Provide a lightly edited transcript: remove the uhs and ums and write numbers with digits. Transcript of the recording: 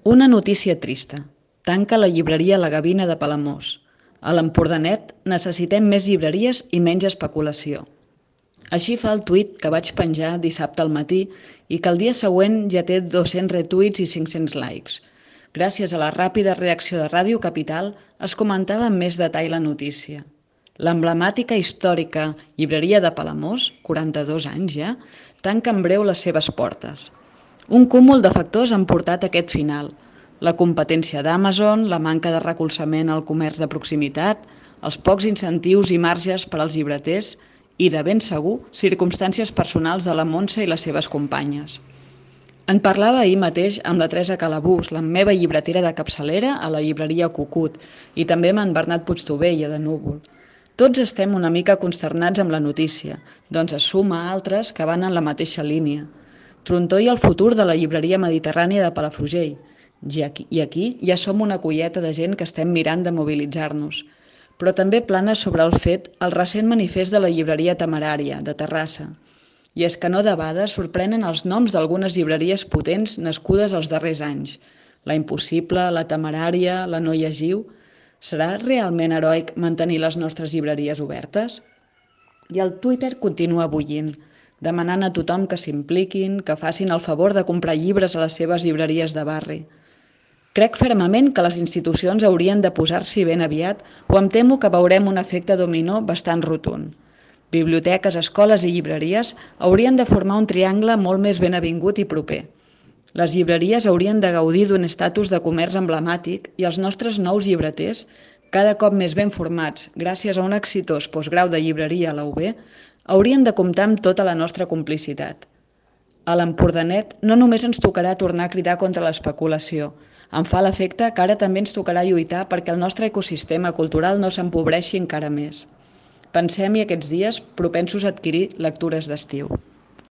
Una notícia trista. Tanca la llibreria La Gavina de Palamós. A l'Empordanet necessitem més llibreries i menys especulació. Així fa el tuit que vaig penjar dissabte al matí i que el dia següent ja té 200 retuits i 500 likes. Gràcies a la ràpida reacció de Ràdio Capital es comentava amb més detall la notícia. L'emblemàtica històrica llibreria de Palamós, 42 anys ja, tanca en breu les seves portes. Un cúmul de factors han portat a aquest final. La competència d'Amazon, la manca de recolzament al comerç de proximitat, els pocs incentius i marges per als llibreters i, de ben segur, circumstàncies personals de la Montse i les seves companyes. En parlava ahir mateix amb la Teresa Calabús, la meva llibretera de capçalera a la llibreria Cucut, i també amb en Bernat Puigtovella de Núvol. Tots estem una mica consternats amb la notícia, doncs es suma a altres que van en la mateixa línia. Trontor i el futur de la llibreria mediterrània de Palafrugell. I aquí ja som una colleta de gent que estem mirant de mobilitzar-nos. Però també plana sobre el fet el recent manifest de la llibreria Temerària, de Terrassa. I és que no debades sorprenen els noms d'algunes llibreries potents nascudes els darrers anys. La Impossible, la Temerària, la No Llegiu. Serà realment heroic mantenir les nostres llibreries obertes? I el Twitter continua bullint, demanant a tothom que s'impliquin, que facin el favor de comprar llibres a les seves llibreries de barri. Crec fermament que les institucions haurien de posar-s'hi ben aviat o em temo que veurem un efecte dominó bastant rotund. Biblioteques, escoles i llibreries haurien de formar un triangle molt més ben avingut i proper. Les llibreries haurien de gaudir d'un estatus de comerç emblemàtic i els nostres nous llibreters, cada cop més ben formats gràcies a un exitós postgrau de llibreria a la UB, haurien de comptar amb tota la nostra complicitat. A l'Empordanet no només ens tocarà tornar a cridar contra l'especulació, em fa l'efecte que ara també ens tocarà lluitar perquè el nostre ecosistema cultural no s'empobreixi encara més. Pensem-hi aquests dies propensos a adquirir lectures d'estiu.